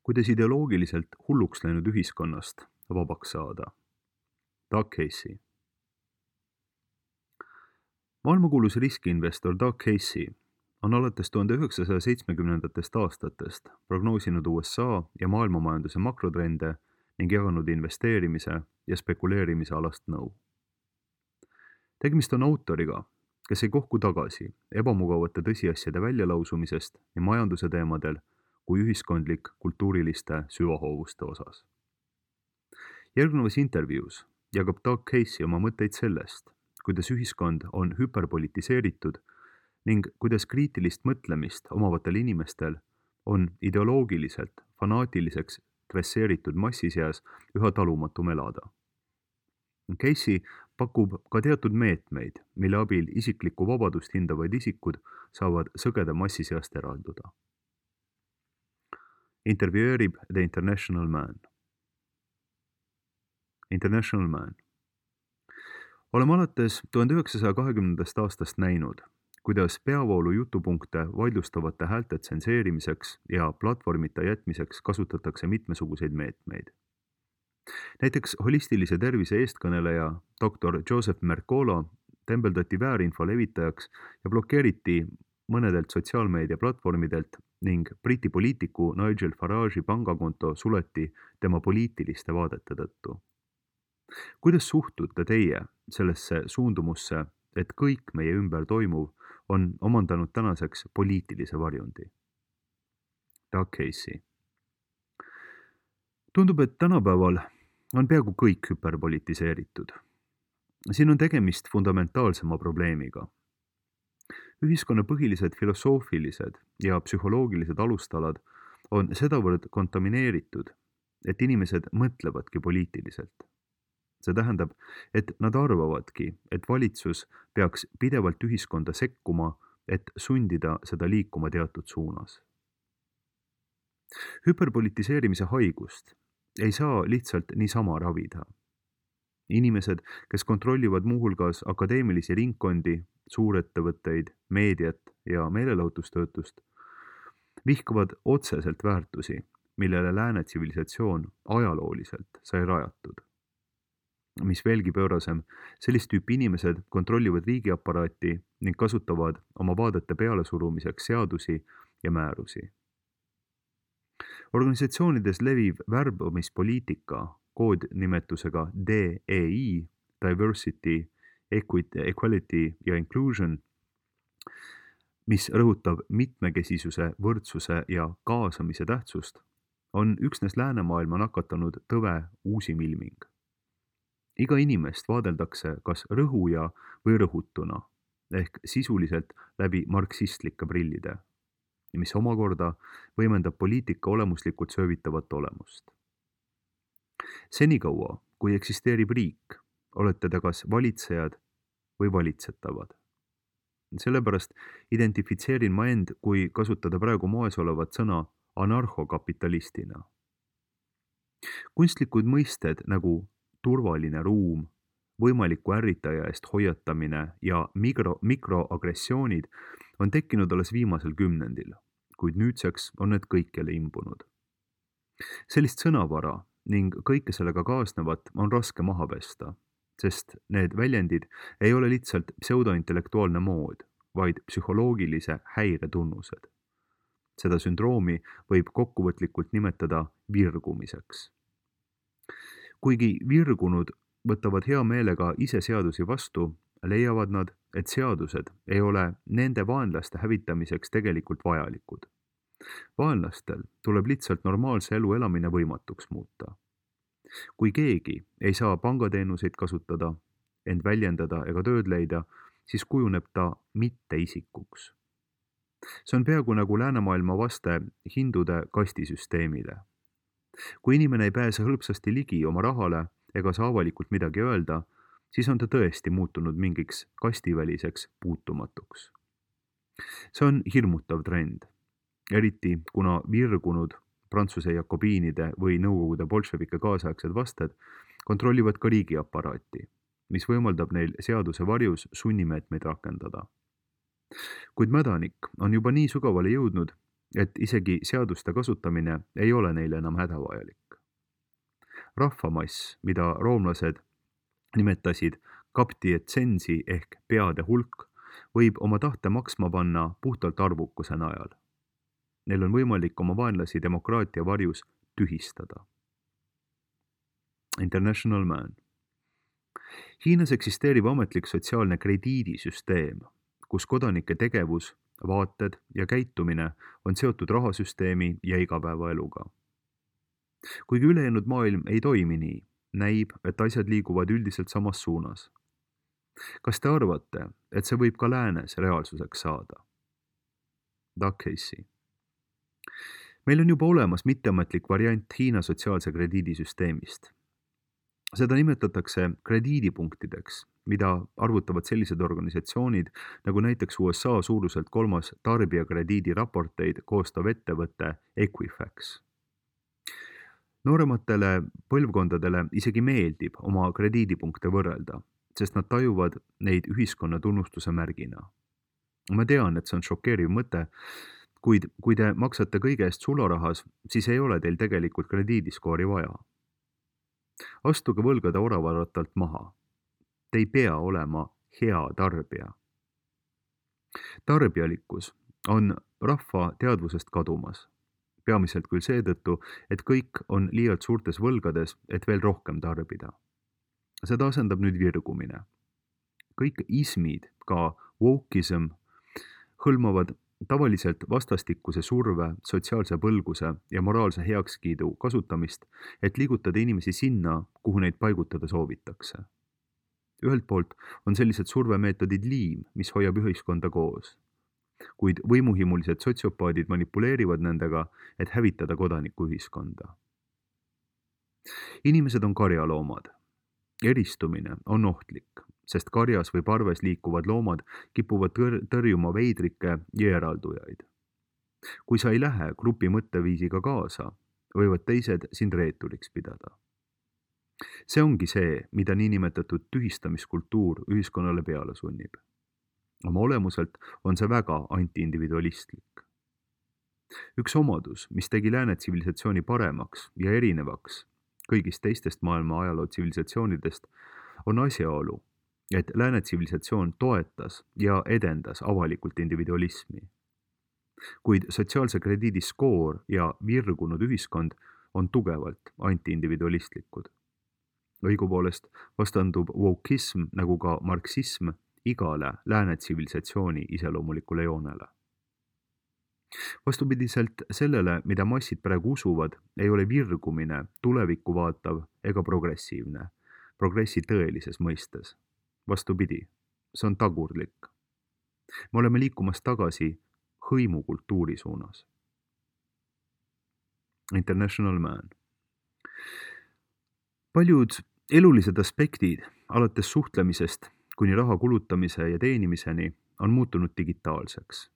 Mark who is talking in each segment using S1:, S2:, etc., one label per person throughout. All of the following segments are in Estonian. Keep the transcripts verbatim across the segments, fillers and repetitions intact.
S1: kuidas ideoloogiliselt hulluks läinud ühiskonnast vabaks saada. Doug Casey. Maailmakuulus riskiinvestor Doug Casey on alates tuhande üheksasaja seitsmekümnendatest aastatest prognoosinud U S A ja maailmamajanduse makrotrende ning jaganud investeerimise ja spekuleerimise alast nõu. Tegemist on autoriga, kes ei kohku tagasi ebamugavate tõsiasjade väljalausumisest nii majanduse teemadel kui ühiskondlik kultuuriliste süvahoovuste osas. Järgnevas intervjuus jagab Doug Casey oma mõtteid sellest, kuidas ühiskond on hüperpolitiseeritud ning kuidas kriitilist mõtlemist omavatel inimestel on ideoloogiliselt fanaatiliseks dresseeritud massi seas üha talumatum elada. Casey pakub ka teatud meetmeid, mille abil isiklikku vabadust hindavad isikud saavad sõgeda massi seast eralduda. Intervjueerib The International Man. International Man. Oleme alates tuhande üheksasaja kahekümnendast aastast näinud, kuidas peavoolu jutupunkte vaidlustavate häälte tsenseerimiseks ja platvormita jätmiseks kasutatakse mitmesuguseid meetmeid. Näiteks holistilise tervise eestkõneleja doktor Joseph Mercola tembeldati väärinfo levitajaks ja blokeeriti mõnedelt sotsiaalmeedia platvormidelt ning Briti poliitiku Nigel Farage'i pangakonto suleti tema poliitiliste vaadete tõttu. Kuidas suhtute teie sellesse suundumusse, et kõik meie ümber toimuv on omandanud tänaseks poliitilise varjundi? Doug Casey. Tundub, et tänapäeval on peaaegu kõik hüperpolitiseeritud. Siin on tegemist fundamentaalsema probleemiga. Ühiskonna põhilised filosoofilised ja psühholoogilised alustalad on sedavõrd kontamineeritud, et inimesed mõtlevadki poliitiliselt. See tähendab, et nad arvavadki, et valitsus peaks pidevalt ühiskonda sekkuma, et sundida seda liikuma teatud suunas. Hüperpolitiseerimise haigust ei saa lihtsalt niisama ravida. Inimesed, kes kontrollivad muuhulgas akadeemilisi ringkondi, suurettevõtteid, meediat ja meelelahutustöötust, vihkavad otseselt väärtusi, millele lääne tsivilisatsioon ajalooliselt sai rajatud. Mis veelgi pöörasem, sellist tüüpi inimesed kontrollivad riigiaparaati ning kasutavad oma vaadete pealesurumiseks seadusi ja määrusi. Organisatsioonides leviv värbamispoliitika koodnimetusega D E I, Diversity, Equity, Equality ja Inclusion, mis rõhutab mitmekesisuse, võrdsuse ja kaasamise tähtsust, on üksnes läänemaailma nakatanud tõve uusim ilming. Iga inimest vaadeldakse kas rõhuja või rõhutuna, ehk sisuliselt läbi marksistlike prillide, mis omakorda võimendab poliitika olemuslikult söövitavat olemust. Senikaua, kui eksisteerib riik, olete te kas valitsejad või valitsetavad. Sellepärast identifitseerin ma end, kui kasutada praegu moes olevat sõna anarhokapitalistina. Kunstlikud mõisted nagu turvaline ruum, võimaliku ärritaja eest hoiatamine ja mikro, mikroagressioonid on tekkinud alles viimasel kümnendil, kuid nüüdseks on need kõikjale imbunud. Sellist sõnavara ning kõike sellega kaasnevat on raske maha pesta, sest need väljendid ei ole lihtsalt pseudointellektuaalne mood, vaid psühholoogilise häire tunnused. Seda sündroomi võib kokkuvõtlikult nimetada virgumiseks. Kuigi virgunud võtavad hea meelega ise seadusi vastu, leiavad nad, et seadused ei ole nende vaenlaste hävitamiseks tegelikult vajalikud. Vaenlastel tuleb lihtsalt normaalse elu elamine võimatuks muuta. Kui keegi ei saa pangateenuseid kasutada, end väljendada ega tööd leida, siis kujuneb ta mitte isikuks. See on peaaegu nagu läänemaailma vaste hindude kastisüsteemile. Kui inimene ei pääse hõlpsasti ligi oma rahale ega saa avalikult midagi öelda, siis on ta tõesti muutunud mingiks kastiväliseks puutumatuks. See on hirmutav trend, eriti kuna virgunud Prantsuse jakobiinide või Nõukogude bolševike kaasaegsed vasted kontrollivad ka riigiaparaati, mis võimaldab neil seaduse varjus sunnimeetmeid rakendada. Kuid mädanik on juba nii sügavale jõudnud, et isegi seaduste kasutamine ei ole neile enam hädavajalik. Rahvamass, mida roomlased nimetasid kaptietsensi ehk peade hulk, võib oma tahte maksma panna puhtalt arvukuse najal. Neil on võimalik oma vaenlasi demokraatia varjus tühistada. International Man. Hiinas eksisteerib ametlik sotsiaalne krediidisüsteem, kus kodanike tegevus, vaated ja käitumine on seotud rahasüsteemi ja igapäevaeluga. Kuigi ülejäänud maailm ei toimi nii, näib, et asjad liiguvad üldiselt samas suunas. Kas te arvate, et see võib ka läänes reaalsuseks saada? Doug Casey. Meil on juba olemas mitteametlik variant Hiina sotsiaalse krediidisüsteemist. Seda nimetatakse krediidipunktideks, mida arvutavad sellised organisatsioonid, nagu näiteks U S A suuruselt kolmas tarbijakrediidiraporteid koostav ettevõte Equifax. Noorematele põlvkondadele isegi meeldib oma krediidipunkte võrrelda, sest nad tajuvad neid ühiskonna tunnustuse märgina. Ma tean, et see on šokeeriv mõte, kuid kui te maksate kõige eest sularahas, siis ei ole teil tegelikult krediidiskoori vaja. Astuge võlgade oravaratalt maha. Te ei pea olema hea tarbija. Tarbijalikkus on rahva teadvusest kadumas. Peamiselt küll seetõttu, et kõik on liialt suurtes võlgades, et veel rohkem tarbida. Seda asendab nüüd virgumine. Kõik ismid, ka wokeism, hõlmavad tavaliselt vastastikuse surve, sotsiaalse põlguse ja moraalse heakskiidu kasutamist, et liigutada inimesi sinna, kuhu neid paigutada soovitakse. Ühelt poolt on sellised survemeetodid liim, mis hoiab ühiskonda koos. Kuid võimuhimulised sotsiopaadid manipuleerivad nendega, et hävitada kodanikuühiskonda. Inimesed on karjaloomad. Eristumine on ohtlik, sest karjas või parves liikuvad loomad kipuvad tõr- tõrjuma veidrikke ja eraldujaid. Kui sa ei lähe grupi mõtteviisiga kaasa, võivad teised sind reeturiks pidada. See ongi see, mida niinimetatud tühistamiskultuur ühiskonnale peale sunnib. Oma olemuselt on see väga antiindividualistlik. Üks omadus, mis tegi lääne tsivilisatsiooni paremaks ja erinevaks kõigist teistest maailma ajaloo tsivilisatsioonidest, on asjaolu, et lääne tsivilisatsioon toetas ja edendas avalikult individualismi. Kuid sotsiaalse krediidi skoor ja virgunud ühiskond on tugevalt antiindividualistlikud. Õigupoolest vastandub wokeism nagu ka marksism igale lääne tsivilisatsiooni iseloomulikule joonele. Vastupidiselt sellele, mida massid praegu usuvad, ei ole virgumine tulevikku vaatav ega progressiivne, progressi tõelises mõistes. Vastupidi, see on tagurlik. Me oleme liikumas tagasi hõimukultuuri suunas. International Man. Paljud elulised aspektid, alates suhtlemisest kuni raha kulutamise ja teenimiseni, on muutunud digitaalseks.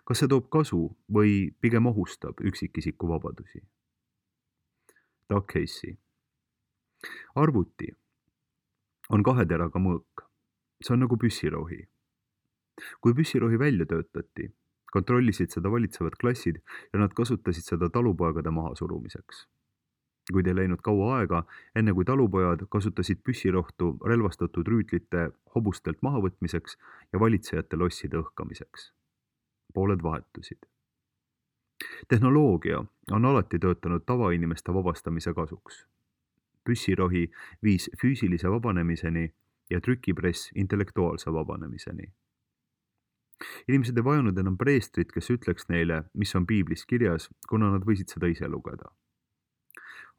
S1: Kas see toob kasu või pigem ohustab üksikisiku vabadusi? Doug Casey. Arvuti on kahe teraga mõõk. See on nagu püssirohi. Kui püssirohi välja töötati, kontrollisid seda valitsevad klassid ja nad kasutasid seda talupoegade mahasurumiseks. Kuid ei läinud kaua aega, enne kui talupojad kasutasid püssirohtu relvastatud rüütlite hobustelt mahavõtmiseks ja valitsejate losside õhkamiseks. Pooled vahetusid. Tehnoloogia on alati töötanud tavainimeste vabastamise kasuks. Püssirohi viis füüsilise vabanemiseni ja trükipress intellektuaalse vabanemiseni. Inimesed ei vajanud enam preestrit, kes ütleks neile, mis on piiblis kirjas, kuna nad võisid seda ise lugeda.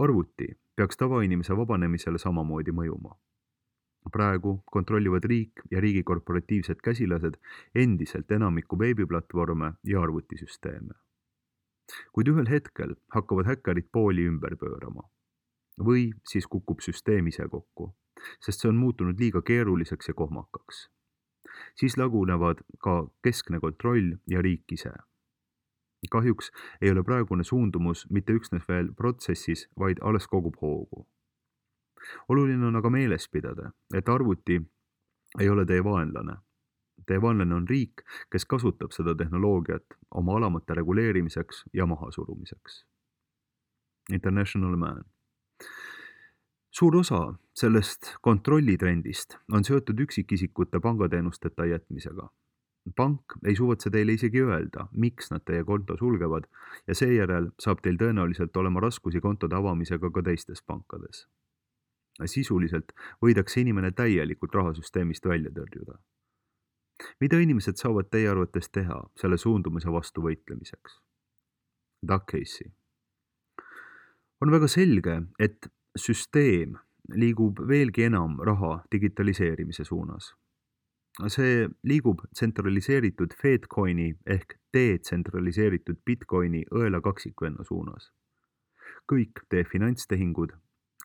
S1: Arvuti peaks tavainimese vabanemisele samamoodi mõjuma. Praegu kontrollivad riik ja riigi korporatiivsed käsilased endiselt enamiku veebiplatvorme ja arvutisüsteeme. Kuid ühel hetkel hakkavad häkkerid pooli ümber pöörama. Või siis kukub süsteem ise kokku, sest see on muutunud liiga keeruliseks ja kohmakaks. Siis lagunevad ka keskne kontroll ja riik ise. Kahjuks ei ole praegune suundumus mitte üksnes veel protsessis, vaid alles kogub hoogu. Oluline on aga meeles pidada, et arvuti ei ole teie vaenlane. Teie vaenlane on riik, kes kasutab seda tehnoloogiat oma alamate reguleerimiseks ja mahasurumiseks. International Man. Suur osa sellest kontrollitrendist on seotud üksikisikute pangateenusteta jätmisega. Pank ei suvatse teile isegi öelda, miks nad teie konto sulgevad ja seejärel saab teil tõenäoliselt olema raskusi kontode avamisega ka teistes pankades. Sisuliselt võidakse inimene täielikult rahasüsteemist välja tõrjuda. Mida inimesed saavad teie arvates teha selle suundumise vastu võitlemiseks? Doug Casey. On väga selge, et süsteem liigub veelgi enam raha digitaliseerimise suunas. See liigub tsentraliseeritud Fedcoini ehk detsentraliseeritud Bitcoini õela kaksikvenna suunas. Kõik teie finantstehingud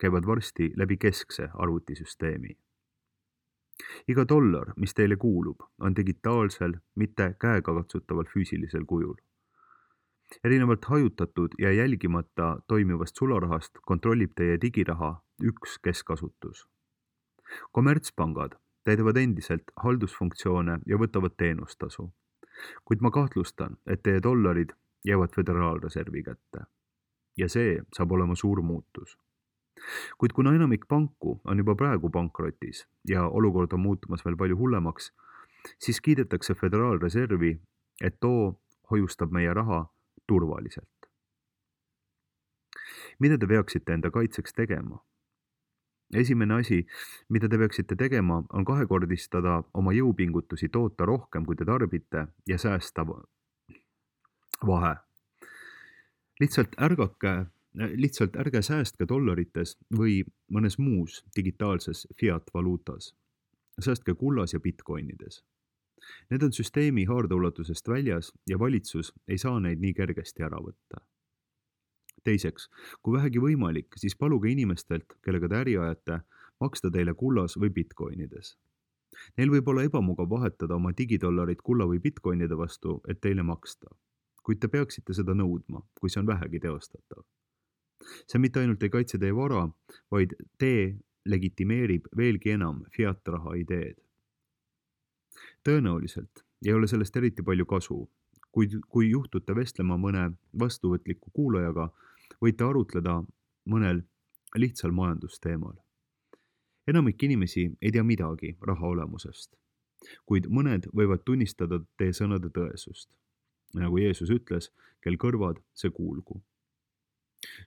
S1: käivad varsti läbi keskse arvutisüsteemi. Iga dollar, mis teile kuulub, on digitaalsel, mitte käegakatsutaval füüsilisel kujul. Erinevalt hajutatud ja jälgimata toimivast sularahast kontrollib teie digiraha üks keskasutus. Kommertspangad täidavad endiselt haldusfunktsioone ja võtavad teenustasu, kuid ma kahtlustan, et teie dollarid jäävad Föderaalreservi kätte. Ja see saab olema suur muutus. Kuid kuna enamik panku on juba praegu pankrotis ja olukord on muutumas veel palju hullemaks, siis kiidetakse Föderaalreservi, et too hoiustab meie raha turvaliselt. Mida te peaksite enda kaitseks tegema? Esimene asi, mida te peaksite tegema, on kahekordistada oma jõupingutusi toota rohkem, kui te tarbite ja säästa vahe. Lihtsalt ärgake, lihtsalt ärge säästke dollarites või mõnes muus digitaalses fiat-valuutas. Säästke kullas ja bitcoinides. Need on süsteemi haardeulatusest väljas ja valitsus ei saa neid nii kergesti ära võtta. Teiseks, kui vähegi võimalik, siis paluge inimestelt, kellega te äri ajate, maksta teile kullas või bitcoinides. Neil võib olla ebamugav vahetada oma digidollarit kulla või bitcoinide vastu, et teile maksta. Kuid te peaksite seda nõudma, kui see on vähegi teostatav. See mitte ainult ei kaitse teie vara, vaid te legitimeerib veelgi enam fiat-raha ideed. Tõenäoliselt ei ole sellest eriti palju kasu, kuid kui juhtute vestlema mõne vastuvõtliku kuulajaga, võite arutleda mõnel lihtsal majandusteemal. Enamik inimesi ei tea midagi raha olemusest, kuid mõned võivad tunnistada teie sõnade tõesust. Nagu Jeesus ütles, kel kõrvad, see kuulgu.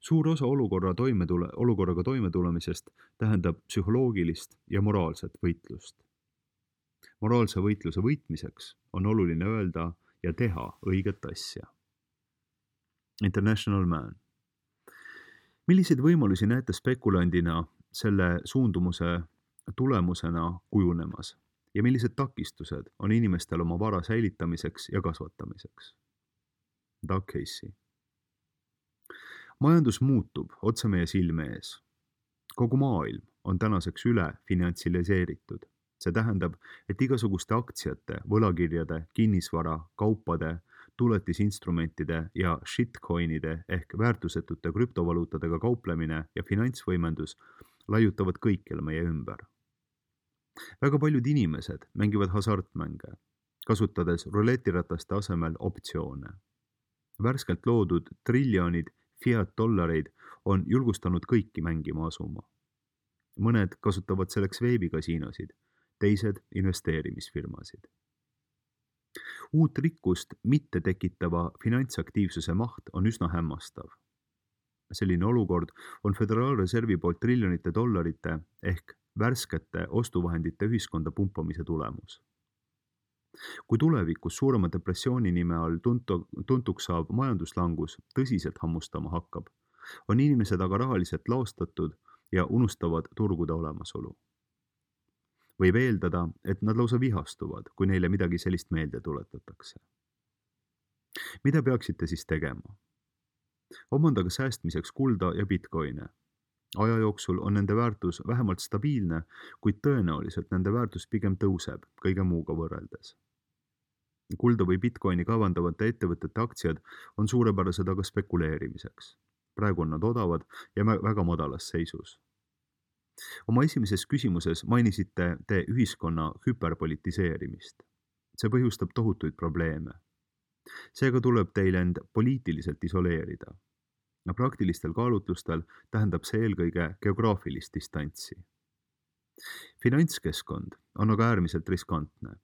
S1: Suur osa olukorra toimetule, olukorraga toimetulemisest tähendab psühholoogilist ja moraalset võitlust. Moraalse võitluse võitmiseks on oluline öelda ja teha õiget asja. International Man. Milliseid võimalusi näete spekulandina selle suundumuse tulemusena kujunemas ja millised takistused on inimestel oma vara säilitamiseks ja kasvatamiseks? Doug Casey. Majandus muutub otse meie silme ees. Kogu maailm on tänaseks üle finantsiliseeritud. See tähendab, et igasuguste aktsiate, võlakirjade, kinnisvara, kaupade, tuletisinstrumentide ja shitcoinide ehk väärtusetute krüptovaluutadega kauplemine ja finantsvõimendus laiutavad kõikjal meie ümber. Väga paljud inimesed mängivad hasartmänge, kasutades ruletirataste asemel optsioone. Värskelt loodud triljonid fiat-dollareid on julgustanud kõiki mängima asuma. Mõned kasutavad selleks veebikasiinosid, teised investeerimisfirmasid. Uut rikkust mitte tekitava finantsaktiivsuse maht on üsna hämmastav. Selline olukord on Föderaalreservi poolt triljonite dollarite ehk värskete ostuvahendite ühiskonda pumpamise tulemus. Kui tulevikus suurema depressiooni nime all tuntu, tuntuks saab majanduslangus tõsiselt hammustama hakkab, on inimesed aga rahaliselt laostatud ja unustavad turgude olemasolu. Võib eeldada, et nad lausa vihastuvad, kui neile midagi sellist meelde tuletatakse. Mida peaksite siis tegema? Omandage säästmiseks kulda ja bitcoine. Aja jooksul on nende väärtus vähemalt stabiilne, kuid tõenäoliselt nende väärtus pigem tõuseb kõige muuga võrreldes. Kulda või bitcoini kavandavate ettevõtete aktsiad on suurepärased aga spekuleerimiseks. Praegu on nad odavad ja väga madalas seisus. Oma esimeses küsimuses mainisite te ühiskonna hüperpolitiseerimist. see põhjustab tohutuid probleeme. Seega tuleb teil end poliitiliselt isoleerida. Ja praktilistel kaalutlustel tähendab see eelkõige geograafilist distantsi. Finantskeskkond on aga äärmiselt riskantne,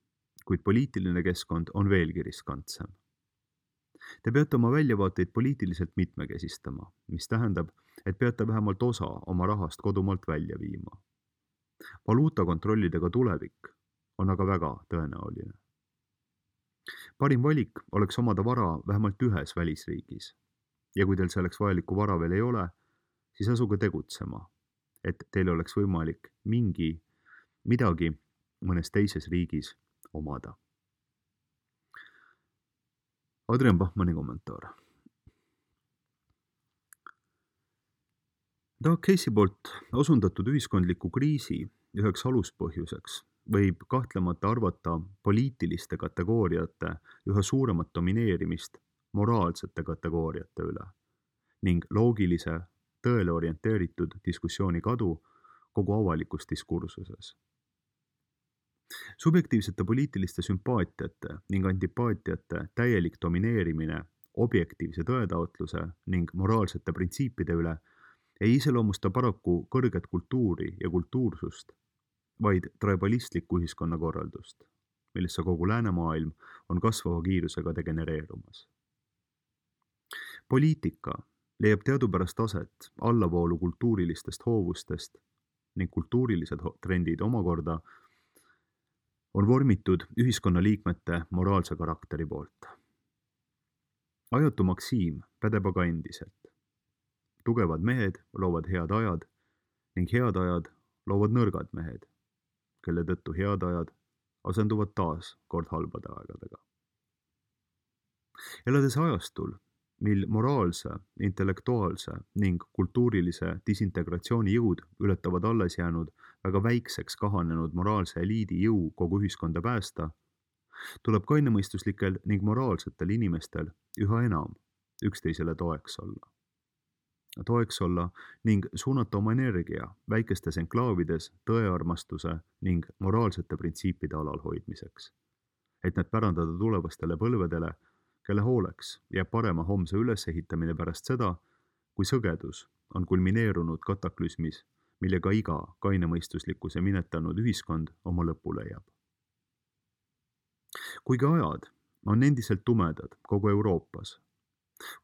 S1: kuid poliitiline keskkond on veelgi riskantsem. Te peate oma väljavaateid poliitiliselt mitmekesistama, mis tähendab, et peate vähemalt osa oma rahast kodumaalt välja viima. Valuutakontrollidega tulevik on aga väga tõenäoline. Parim valik oleks omada vara vähemalt ühes välisriigis. Ja kui teil selleks vajalikku vara veel ei ole, siis asuge tegutsema, et teil oleks võimalik mingi midagi mõnes teises riigis omada. Adrian Bachmanni kommentaar. Doug Casey poolt osundatud ühiskondliku kriisi üheks aluspõhjuseks võib kahtlemata arvata poliitiliste kategooriate üha suuremat domineerimist moraalsete kategooriate üle ning loogilise, tõele orienteeritud diskussiooni kadu kogu avalikus diskursuses. Subjektiivsete poliitiliste sümpaatiate ning antipaatiate täielik domineerimine objektiivse tõetaotluse ning moraalsete printsiipide üle ei iseloomusta paraku kõrget kultuuri ja kultuursust, vaid tribalistlikku ühiskonnakorraldust, millesse kogu läänemaailm on kasvava kiirusega degenereerumas. Poliitika leiab teadupärast aset allavoolu kultuurilistest hoovustest ning kultuurilised trendid omakorda on vormitud ühiskonnaliikmete moraalse karakteri poolt. Ajatu maksiim pädeb aga endiselt. Tugevad mehed loovad head ajad ning head ajad loovad nõrgad mehed, kelle tõttu head ajad asenduvad taas kord halbade aegadega. Elades ajastul, mil moraalse, intellektuaalse ning kultuurilise disintegratsiooni jõud ületavad alles jäänud väga väikseks kahanenud moraalse eliidi jõu kogu ühiskonda päästa, tuleb kainemõistuslikel ning moraalsetel inimestel üha enam üksteisele toeks olla. Toeks olla ning suunata oma energia väikestes enklaavides tõearmastuse ning moraalsete printsiipide alalhoidmiseks, et need pärandada tulevastele põlvedele, kelle hooleks jääb parema homse ülesehitamine pärast seda, kui sõgedus on kulmineerunud kataklüsmis, millega iga kainemõistuslikkuse minetanud ühiskond oma lõpu leiab. Kuigi ajad on endiselt tumedad kogu Euroopas,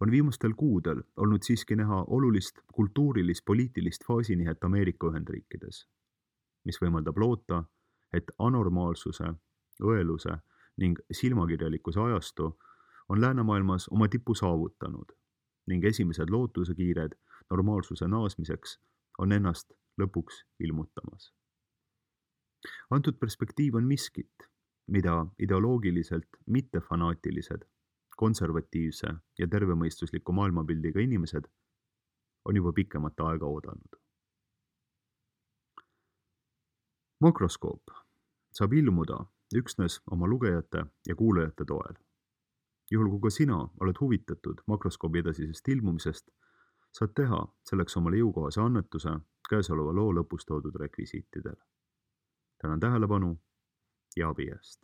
S1: on viimastel kuudel olnud siiski näha olulist kultuurilis-poliitilist faasinihet Ameerika Ühendriikides, mis võimaldab loota, et anormaalsuse, õeluse ning silmakirjalikkuse ajastu on läänemaailmas oma tipu saavutanud ning esimesed lootusekiired normaalsuse naasmiseks on ennast lõpuks ilmutamas. Antud perspektiiv on miskit, mida ideoloogiliselt mittefanaatilised, konservatiivse ja tervemõistusliku maailmapildiga inimesed on juba pikemat aega oodanud. Makroskoop saab ilmuda üksnes oma lugejate ja kuulajate toel. Juhul kui ka sina oled huvitatud makroskoobi edasisest ilmumisest, saad teha selleks omale jõukohase annetuse käesoleva loo lõpus toodud rekvisiitidel. Tänan tähelepanu ja abi eest.